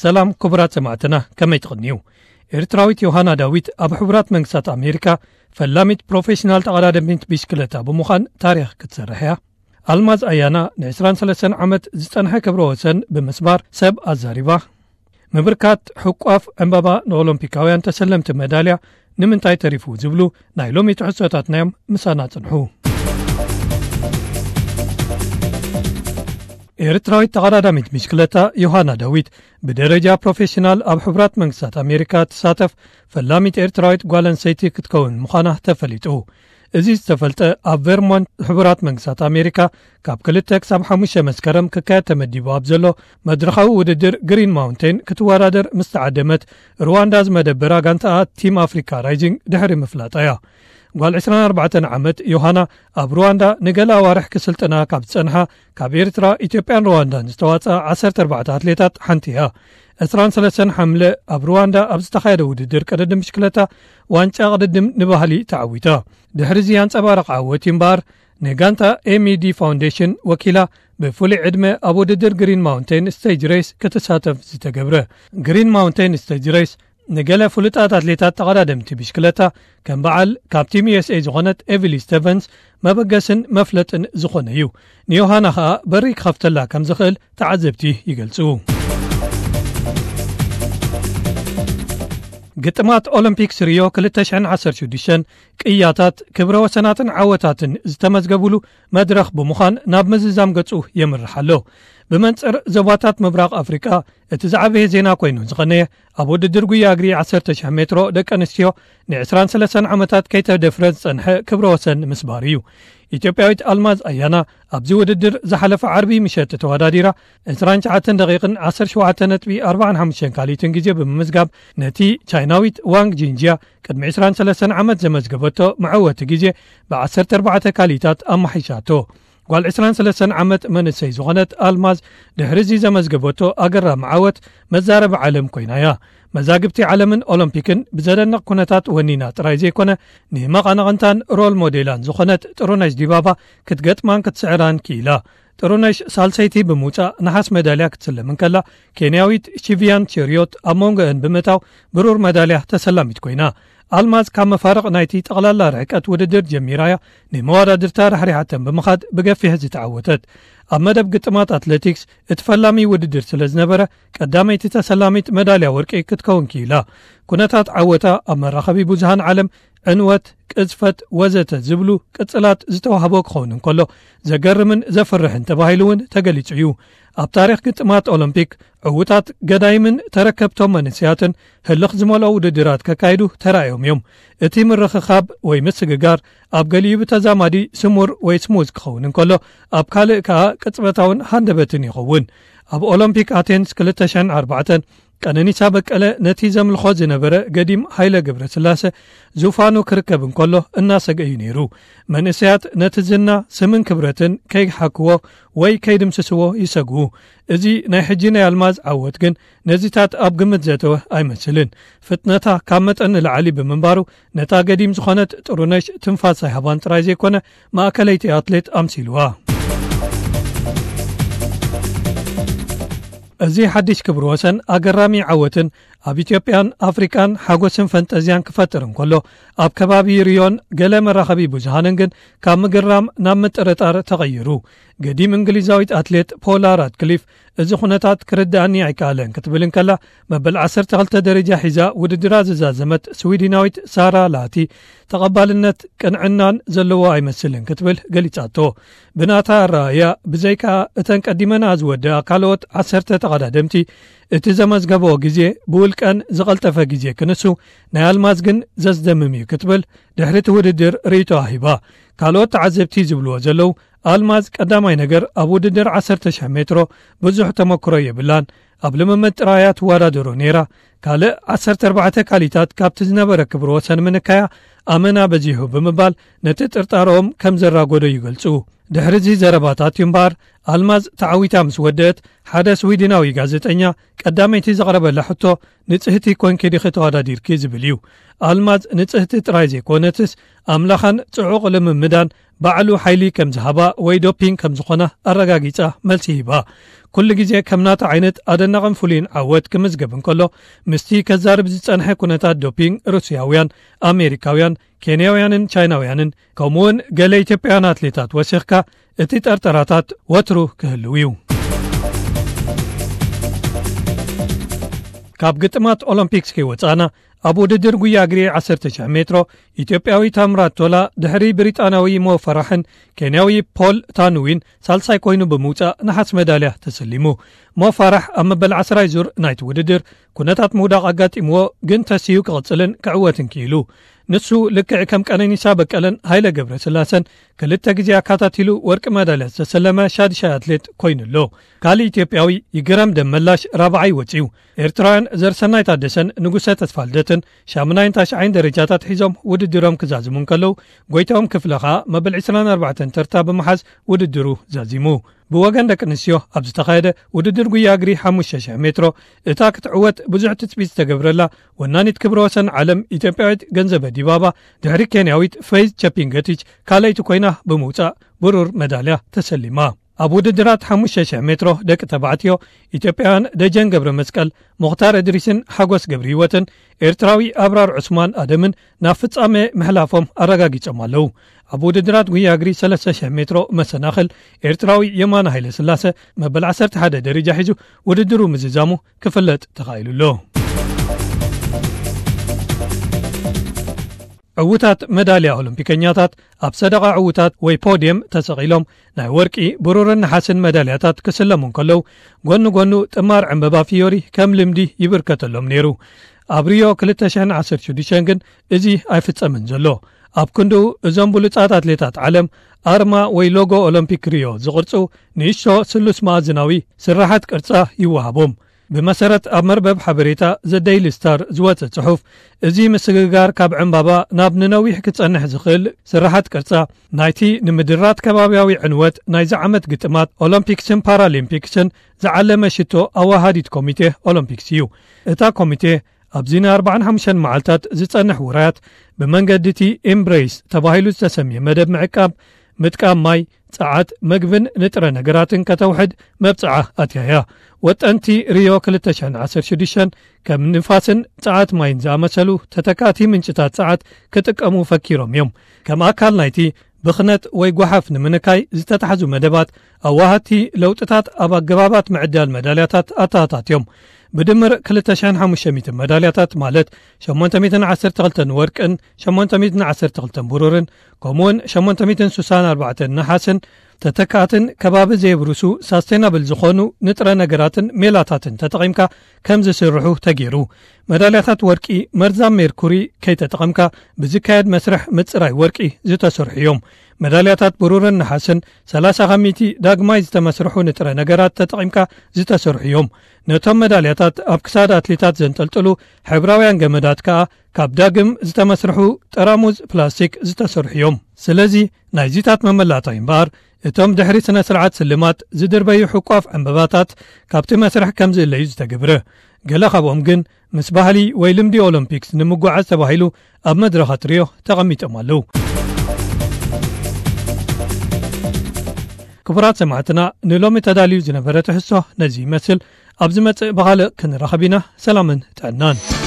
ሰላም ክቡራት ሰማዕትና፣ ከመይ ትቕንዩ? ኤርትራዊት ዮሃና ዳዊት ኣብ ሕቡራት መንግስታት ኣሜሪካ ፈላሚት ፕሮፌሽናል ተቐዳደሚት ብሽክለታ ብምዃን ታሪኽ ክትሰርሕ እያ። ኣልማዝ ኣያና ን ዕስራን ሰለስተን ዓመት ዝጸንሐ ክብረ ወሰን ብምስባር ሰብ ኣዛሪባ። ምብርካት ሕቋፍ ዕምባባ ንኦሎምፒካውያን ተሰለምቲ መዳልያ ንምንታይ ተሪፉ ዝብሉ ናይ ሎሚ ትሕዝቶታትና እዮም። ምሳና ጽንሑ። ኤርትራዊት ተቐዳዳሚት ብሽክለታ ዮሃና ዳዊት ብደረጃ ፕሮፌሽናል ኣብ ሕቡራት መንግስታት ኣሜሪካ ትሳተፍ ፈላሚት ኤርትራዊት ጓል ኣንስተይቲ ክትከውን ምዃና ተፈሊጡ። እዚ ዝተፈልጠ ኣብ ቨርሞንት ሕቡራት መንግስታት ኣሜሪካ ካብ ክልተ ክሳብ ሓሙሽተ መስከረም ክካየድ ተመዲቡ ኣብ ዘሎ መድረኻዊ ውድድር ግሪን ማውንቴን ክትወዳደር ምስ ተዓደመት ሩዋንዳ ዝመደበራ ጋንታኣ ቲም ኣፍሪካ ራይዚንግ ድሕሪ ምፍላጣ እያ። ጓል ዕስራን ኣርባዕተን ዓመት ዮሃና ኣብ ሩዋንዳ ንገለ ኣዋርሕ ክስልጥና ካብ ዝጸንሓ ካብ ኤርትራ፣ ኢትዮጵያን ሩዋንዳን ዝተዋጽኣ ዓሰርተ ኣርባዕተ ኣትሌታት ሓንቲ እያ። ዕስራን ሰለስተን ሓምለ ኣብ ሩዋንዳ ኣብ ዝተኻየደ ውድድር ቅድድም ብሽክለታ ዋንጫ ቅድድም ንባህሊ ተዓዊታ። ድሕሪ እዚ ኣንጸባረቕ ዓወት እዩ እምበኣር ንጋንታ ኤምኢዲ ፋውንዴሽን ወኪላ ብፍሉይ ዕድመ ኣብ ውድድር ግሪን ማውንቴን ስቴጅ ሬስ ክትሳተፍ ዝተገብረ። ግሪን ማውንቴን ስቴጅ ሬስ ንገለ ፍሉጣት ኣትሌታት ተቐዳደምቲ ብሽክለታ ከም በዓል ካብ ቲም ዩ ኤስ ኤ ዝኾነት ኤቪሊ ስተቨንስ መበገስን መፍለጥን ዝኾነ እዩ። ንዮሃና ኸኣ በሪ ክኸፍተላ ከም ዝኽእል ተዓዘብቲ ይገልጹ። ግጥማት ኦሎምፒክስ ሪዮ ክልተ ሽሕን ዓሰርተ ሽዱሽተን ቅያታት፣ ክብረ ወሰናትን ዓወታትን ዝተመዝገቡሉ መድረኽ ብምዃን ናብ ምዝዛም ገጹ የምርሕ ኣሎ። ብመንጽር ዞባታት ምብራቕ ኣፍሪቃ እቲ ዝዓበየ ዜና ኮይኑ ዝቐነየ ኣብ ውድድር ጉያ እግሪ ዓሰርተ ሽሕ ሜትሮ ደቂ ኣንስትዮ ን ዕስራን ሰለስተን ዓመታት ከይተደፍረ ዝጸንሐ ክብረ ወሰን ምስባር እዩ። ኢትዮጵያዊት ኣልማዝ ኣያና ኣብዚ ውድድር ዝሓለፈ ዓርቢ ምሸት ተወዳዲራ ዕስራን ትሽዓተን ደቂቕን ዓሰርተ ሸውዓተ ነጥቢ ኣርባዓን ሓሙሽተን ካልኢትን ግዜ ብምምዝጋብ ነቲ ቻይናዊት ዋንግ ጂንጂያ ቅድሚ ዕስራን ሰለስተን ዓመት ዘመዝገበቶ መዐወቲ ግዜ ብ ዓሰርተ ኣርባዕተ ካልኢታት ኣማሒሻቶ። ጓል ዕስራን ሰለስተን ዓመት መንእሰይ ዝኾነት ኣልማዝ ድሕሪ እዚ ዘመዝገበቶ ኣገራሚ ዓወት መዛረቢ ዓለም ኮይና እያ። መዛግብቲ ዓለምን ኦሎምፒክን ብዘደንቕ ኩነታት ወኒና ጥራይ ዘይኮነ ንመቐናቕንታን ሮል ሞዴላን ዝኾነት ጥሩነሽ ዲባባ ክትገጥማን ክትስዕራን ክኢላ። ጥሩነሽ ሳልሰይቲ ብምውጻእ ነሓስ መዳልያ ክትስለም እንከላ፣ ኬንያዊት ሺቪያን ቸሪዮት ኣብ መንጎአን ብምእታው ብሩር መዳልያ ተሰላሚት ኮይና። ኣልማዝ ካብ መፋርቕ ናይቲ ጠቕላላ ርሕቀት ውድድር ጀሚራ እያ ንመወዳድርታ ራሕሪሓተን ብምኻድ ብገፊሕ ዝተዓወተት። ኣብ መደብ ግጥማት ኣትሌቲክስ እቲ ፈላሚ ውድድር ስለ ዝነበረ ቀዳመይቲ ተሰላሚት መዳልያ ወርቂ ክትከውን ክኢላ። ኩነታት ዓወታ ኣብ መራኸቢ ብዙሃን ዓለም ዕንወት፣ ቅዝፈት ወዘተ ዝብሉ ቅጽላት ዝተዋህቦ ክኸውን እንከሎ ዘገርምን ዘፍርሕን ተባሂሉ እውን ተገሊጹ እዩ። ኣብ ታሪኽ ግጥማት ኦሎምፒክ ዕዉታት ገዳይምን ተረከብቶም መንእሰያትን ህልኽ ዝመልኦ ውድድራት ከካይዱ ተራእዮም እዮም። እቲ ምርኽኻብ ወይ ምስግጋር ኣብ ገሊኡ ብተዛማዲ ስሙር ወይ ስሙዝ ክኸውን እንከሎ፣ ኣብ ካልእ ከኣ ቅጽበታውን ሃንደበትን ይኸውን። ኣብ ኦሎምፒክ ኣቴንስ ክልተ ሽሕን ኣርባዕተን ቀነኒሳ በቀለ ነቲ ዘምልኾ ዝነበረ ገዲም ሃይለ ገብረስላሰ ዙፋኑ ክርከብ እንከሎ እናሰገ እዩ ነይሩ። መንእሰያት ነቲ ዝና፣ ስምን ክብረትን ከይሓክዎ ወይ ከይድምስስዎ ይሰግኡ። እዚ ናይ ሕጂ ናይ ኣልማዝ ዓወት ግን ነዚታት ኣብ ግምት ዘእተወ ኣይመስልን። ፍጥነታ ካብ መጠን ንላዕሊ ብምንባሩ ነታ ገዲም ዝኾነት ጥሩነሽ ትንፋስ ኣይሃባን ጥራይ ዘይኮነ ማእከለይቲ ኣትሌት ኣምሲልዋ። እዚ ሓድሽ ክብሪ ወሰን ኣገራሚ ዓወትን ኣብ ኢትዮጵያን ኣፍሪቃን ሓጎስን ፈንጠዝያን ክፈጥር እንከሎ፣ ኣብ ከባቢ ሪዮን ገለ መራኸቢ ብዙሃንን ግን ካብ ምግራም ናብ ምጥርጣር ተቐይሩ። ገዲም እንግሊዛዊት ኣትሌት ፖላ ራድክሊፍ እዚ ኩነታት ክርድኣኒ ኣይከኣለን ክትብል እንከላ፣ መበል ዓሰርተ ክልተ ደረጃ ሒዛ ውድድራ ዝዛዘመት ስዊድናዊት ሳራ ላቲ ተቐባልነት ቅንዕናን ዘለዎ ኣይመስልን ክትብል ገሊጻቶ። ብናታ ኣረኣእያ፣ ብዘይካ እተን ቀዲመና ዝወደኣ ካልኦት ዓሰርተ ተቐዳደምቲ፣ እቲ ዘመዝገበኦ ግዜ ብውልቀን ዝቐልጠፈ ግዜ ክንሱ፣ ናይ ኣልማዝ ግን ዘስደምም እዩ ክትብል ድሕሪ እቲ ውድድር ርእይቶኣ ሂባ። ካልኦት ተዓዘብቲ ዝብልዎ ዘለዉ፣ ኣልማዝ ቀዳማይ ነገር ኣብ ውድድር ዓሰርተ ሽሕ ሜትሮ ብዙሕ ተመክሮ የብላን፣ ኣብ ልምምድ ጥራይ እያ ትወዳደሮ ነይራ። ካልእ ዓሰርተ ኣርባዕተ ካሊታት ካብቲ ዝነበረ ክብረ ወሰን ምንካያ ኣመና በዚሑ ብምባል ነቲ ጥርጣረኦም ከም ዘራጎዶ ይገልጹ። ድሕሪ እዚ ዘረባታት እዩ እምበኣር ኣልማዝ ተዓዊታ ምስ ወደአት ሓደ ስዊድናዊ ጋዜጠኛ ቀዳመይቲ ዘቕረበላ ሕቶ ንጽህቲ ኮንኪ ዲኺ ተወዳዲርኪ ዝብል እዩ። ኣልማዝ ንጽህቲ ጥራይ ዘይኮነትስ፣ ኣምላኻን ጽዑቕ ልምምዳን ባዕሉ ሓይሊ ከም ዝሃባ ወይ ዶፒንግ ከም ዝኾና ኣረጋጊጻ መልሲ ሂባ። ኩሉ ግዜ ከም ናታ ዓይነት ኣደናቕን ፍሉይን ዓወት ክምዝገብ እንከሎ፣ ምስቲ ከዛርብ ዝጸንሐ ኩነታት ዶፒንግ ሩስያውያን፣ ኣሜሪካውያን፣ ኬንያውያንን ቻይናውያንን፣ ከምኡውን ገለ ኢትዮጵያውያን ኣትሌታት ወሲኽካ፣ እቲ ጠርጠራታት ወትሩ ክህልው እዩ። ካብ ግጥማት ኦሎምፒክስ ከይወጻእና፣ ኣብ ውድድር ጉያ እግሪ ዓሰርተ ሺሕ ሜትሮ፣ ኢትዮጵያዊ ታምራት ቶላ ድሕሪ ብሪጣንያዊ ሞ ፈራሕን ኬንያዊ ፖል ታኑዊን ሳልሳይ ኮይኑ ብምውጻእ ነሓስ መዳልያ ተሰሊሙ። ሞ ፈራሕ ኣብ መበል ዓስራይ ዙር ናይቲ ውድድር ኩነታት ምውዳቕ ኣጋጢምዎ፣ ግን ተሲኡ ክቕጽልን ክዕወትን ክኢሉ። ንሱ ልክዕ ከም ቀነኒሳ በቀለን ሃይለ ገብረስላሰን ክልተ ግዜ ኣካታቲሉ ወርቂ መዳልያ ዝተሰለመ ሻድሻይ ኣትሌት ኮይኑ ኣሎ። ካልእ ኢትዮጵያዊ ይግረም ደመላሽ ራብዓይ ወጺኡ። ኤርትራውያን ዘርሰናይ ታደሰን ንጉሰ ተስፋልደትን ሻምናይን ታሽዓይን ደረጃታት ሒዞም ውድድሮም ክዛዝሙ እንከለዉ፣ ጎይታኦም ክፍለ ኸኣ መበል ዕስራን ኣርባዕተን ተርታ ብምሓዝ ውድድሩ ዛዚሙ። ብወገን ደቂ ኣንስትዮ ኣብ ዝተኻየደ ውድድር ጉያ እግሪ ሓሙሽተ ሽሕ ሜትሮ፣ እታ ክትዕወት ብዙሕ ትጽቢት ዝተገብረላ ወናኒት ክብረ ወሰን ዓለም ኢትዮጵያዊት ገንዘበ ዲባባ፣ ድሕሪ ኬንያዊት ፈይዝ ቸፒንገቲች ካልኣይቲ ኮይና ብምውጻእ ብሩር መዳልያ ተሰሊማ። ኣብ ውድድራት ሓሙሽተ ሽሕ ሜትሮ ደቂ ተባዕትዮ፣ ኢትዮጵያውያን ደጀን ገብረ መስቀል፣ ሙኽታር እድሪስን ሓጎስ ገብረ ህይወትን ኤርትራዊ ኣብራር ዑስማን ኣደምን ናብ ፍጻመ ምሕላፎም ኣረጋጊጾም ኣለዉ። ኣብ ውድድራት ጉያ እግሪ ሰለስተ ሽሕ ሜትሮ መሰናኽል፣ ኤርትራዊ የማነ ሃይለ ስላሰ መበል ዓሰርተ ሓደ ደረጃ ሒዙ ውድድሩ ምዝዛሙ ክፍለጥ ተኻኢሉ ኣሎ። ዕዉታት መዳልያ ኦሎምፒከኛታት ኣብ ሰደቓ ዕዉታት ወይ ፖድየም ተሰቒሎም፣ ናይ ወርቂ፣ ብሩርን ነሓስን መዳልያታት ክስለሙ እንከለዉ፣ ጎኒ ጎኑ ጥማር ዕምበባ ፊዮሪ ከም ልምዲ ይብርከተሎም ነይሩ። ኣብ ሪዮ ክልተ ሽሕን ዓሰርተ ሽዱሽተን ግን እዚ ኣይፍጸምን ዘሎ። ኣብ ክንድኡ፣ እዞም ብሉጻት ኣትሌታት ዓለም፣ ኣርማ ወይ ሎጎ ኦሎምፒክ ሪዮ ዝቕርጹ ንእሽቶ ስሉስ መኣዝናዊ ስርሓት ቅርጻ ይወሃቦም። ብመሰረት ኣብ መርበብ ሓበሬታ ዘ ደይሊ ስታር ዝወጸ ጽሑፍ፣ እዚ ምስግጋር ካብ ዕምባባ ናብ ንነዊሕ ክጸንሕ ዝኽእል ስርሓት ቅርጻ፣ ናይቲ ንምድራት ከባብያዊ ዕንወት ናይዚ ዓመት ግጥማት ኦሎምፒክስን ፓራሊምፒክስን ዝዓለመ ሽቶ ኣወሃዲት ኮሚቴ ኦሎምፒክስ እዩ። እታ ኮሚቴ፣ ኣብዚ ንኣርባዓን ሓሙሽተን መዓልታት ዝጸንሕ ውራያት፣ ብመንገዲ እቲ ኤምብሬስ ተባሂሉ ዝተሰምየ መደብ ምዕቃብ፣ ምጥቃም ማይ፣ ጸዓት፣ መግብን ንጥረ ነገራትን ከተውሕድ መብጽዓ ኣትያ እያ። ወጠንቲ ሪዮ ክልተ ሽሕን ዓሰርተ ሽዱሽተን ከም ንፋስን ጸዓት ማይን ዝኣመሰሉ ተተካእቲ ምንጭታት ጸዓት ክጥቀሙ ፈኪሮም እዮም። ከም ኣካል ናይቲ ብኽነት ወይ ጓሓፍ ንምንካይ ዝተታሕዙ መደባት፣ ኣዋሃድቲ ለውጥታት ኣብ ኣገባባት ምዕዳል መዳልያታት ኣተኣታትዮም። ብድምር ክልተ ሽሕን ሓሙሽተ ሚእትን መዳልያታት፣ ማለት ሸሞንተ ሚእትን ዓሰርተ ክልተን ወርቅን ሸሞንተ ሚእትን ዓሰርተ ክልተን ብሩርን፣ ከምኡውን ሸሞንተ ሚእትን ስሳን ኣርባዕተን ነሓስን፣ ተተካእትን ከባቢ ዘየብርሱ ሳስቴናብል ዝኾኑ ንጥረ ነገራትን ሜላታትን ተጠቒምካ ከም ዝስርሑ ተገይሩ። መዳልያታት ወርቂ መርዛም ሜርኩሪ ከይተጠቐምካ ብዝካየድ መስርሕ ምጽራይ ወርቂ ዝተሰርሑ እዮም። መዳልያታት ብሩርን ነሓስን ሰላሳ ካብ ሚእቲ ዳግማይ ዝተመስርሑ ንጥረ ነገራት ተጠቒምካ ዝተሰርሑ እዮም። ነቶም መዳልያታት ኣብ ክሳድ ኣትሌታት ዘንጠልጥሉ ሕብራውያን ገመዳት ከኣ ካብ ዳግም ዝተመስርሑ ጠራሙዝ ፕላስቲክ ዝተሰርሑ እዮም። ስለዚ ናይዚታት መመላእታ እምበኣር፣ እቶም ድሕሪ ስነ ስርዓት ስልማት ዝድርበዩ ሕቋፍ ዕምበባታት ካብቲ መስርሕ ከም ዝእለዩ ዝተገብረ። ገለ ካብኦም ግን ምስ ባህሊ ወይ ልምዲ ኦሎምፒክስ ንምጉዓዝ ተባሂሉ ኣብ መድረኻት ሪዮ ተቐሚጦም ኣለዉ። ክቡራት ሰማዕትና፣ ንሎሚ ተዳልዩ ዝነበረ ትሕዝቶ ነዚ ይመስል። ኣብ ዝመጽእ ብኻልእ ክንራኸብ ኢና። ሰላምን ጥዕናን።